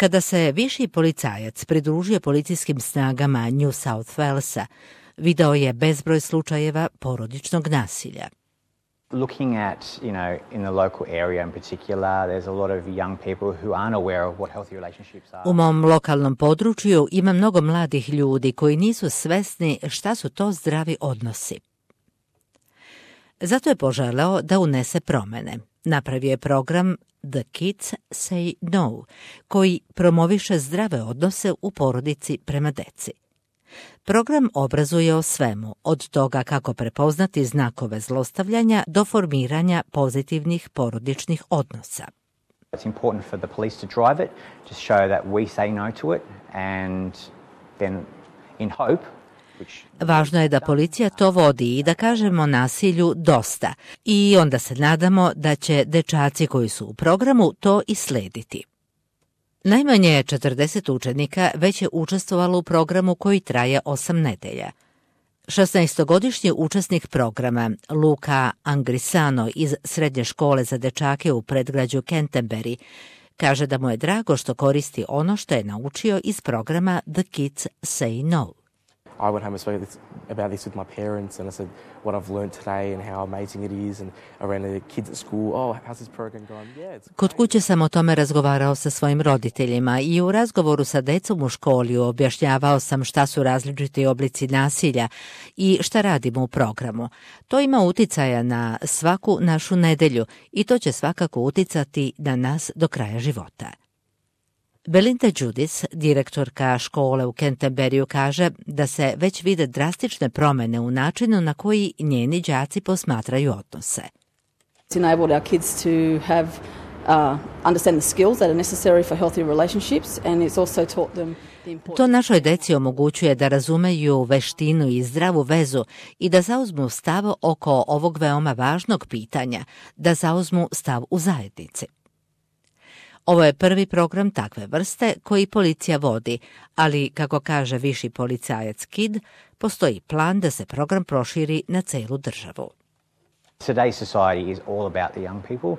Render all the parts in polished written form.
Kada se viši policajac pridružio policijskim snagama New South Walesa, video je bezbroj slučajeva porodičnog nasilja. Looking at, in the local area in particular, there's a lot of young people who aren't aware of what healthy relationships are. U mom lokalnom području ima mnogo mladih ljudi koji nisu svesni šta su to zdravi odnosi. Zato je poželeo da unese promene. Napravio je program The Kids Say No, koji promoviše zdrave odnose u porodici prema deci. Program obrazuje o svemu, od toga kako prepoznati znakove zlostavljanja do formiranja pozitivnih porodičnih odnosa. It's important for the police to drive it, to show that we say no to it, and then in hope. Važno je da policija to vodi i da kažemo nasilju dosta i onda se nadamo da će dečaci koji su u programu to i slediti. Najmanje 40 učenika već je učestvovalo u programu koji traje 8 nedelja. 16-godišnji učesnik programa Luca Angrisano iz srednje škole za dečake u predgrađu Canterbury kaže da mu je drago što koristi ono što je naučio iz programa The Kids Say No. I went home and spoke about this with my parents, and I said what I've learned today and how amazing it is, and around the kids at school. Oh, how's this program going? Yeah, it's Kod kuće sam o tome razgovarao sa svojim roditeljima i u razgovoru sa decom u školi objašnjavao sam šta su različiti oblici nasilja i šta radimo u programu. To ima uticaja na svaku našu nedelju i to će svakako uticati na nas do kraja života. Belinda Judis, direktorka škole u Canterburyju, kaže da se već vide drastične promene u načinu na koji njeni đaci posmatraju odnose. It's enabled our kids to have understand the skills that are necessary for healthy relationships, and it's also taught them the importance. To našoj deci omogućuje da razumeju veštinu i zdravu vezu i da zauzmu stav oko ovog veoma važnog pitanja, da zauzmu stav u zajednici. Ovo je prvi program takve vrste koji policija vodi, ali, kako kaže viši policajac Kidd, postoji plan da se program proširi na celu državu. Today's society is all about the young people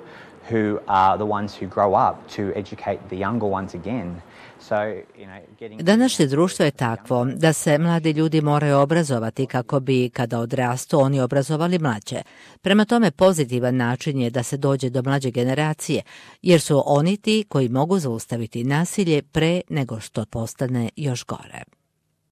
who are the ones who grow up to educate the younger ones again. Današnje društvo je takvo da se mladi ljudi moraju obrazovati kako bi, kada odrastu, oni obrazovali mlađe. Prema tome, pozitivan način je da se dođe do mlađe generacije, jer su oni ti koji mogu zaustaviti nasilje pre nego što postane još gore.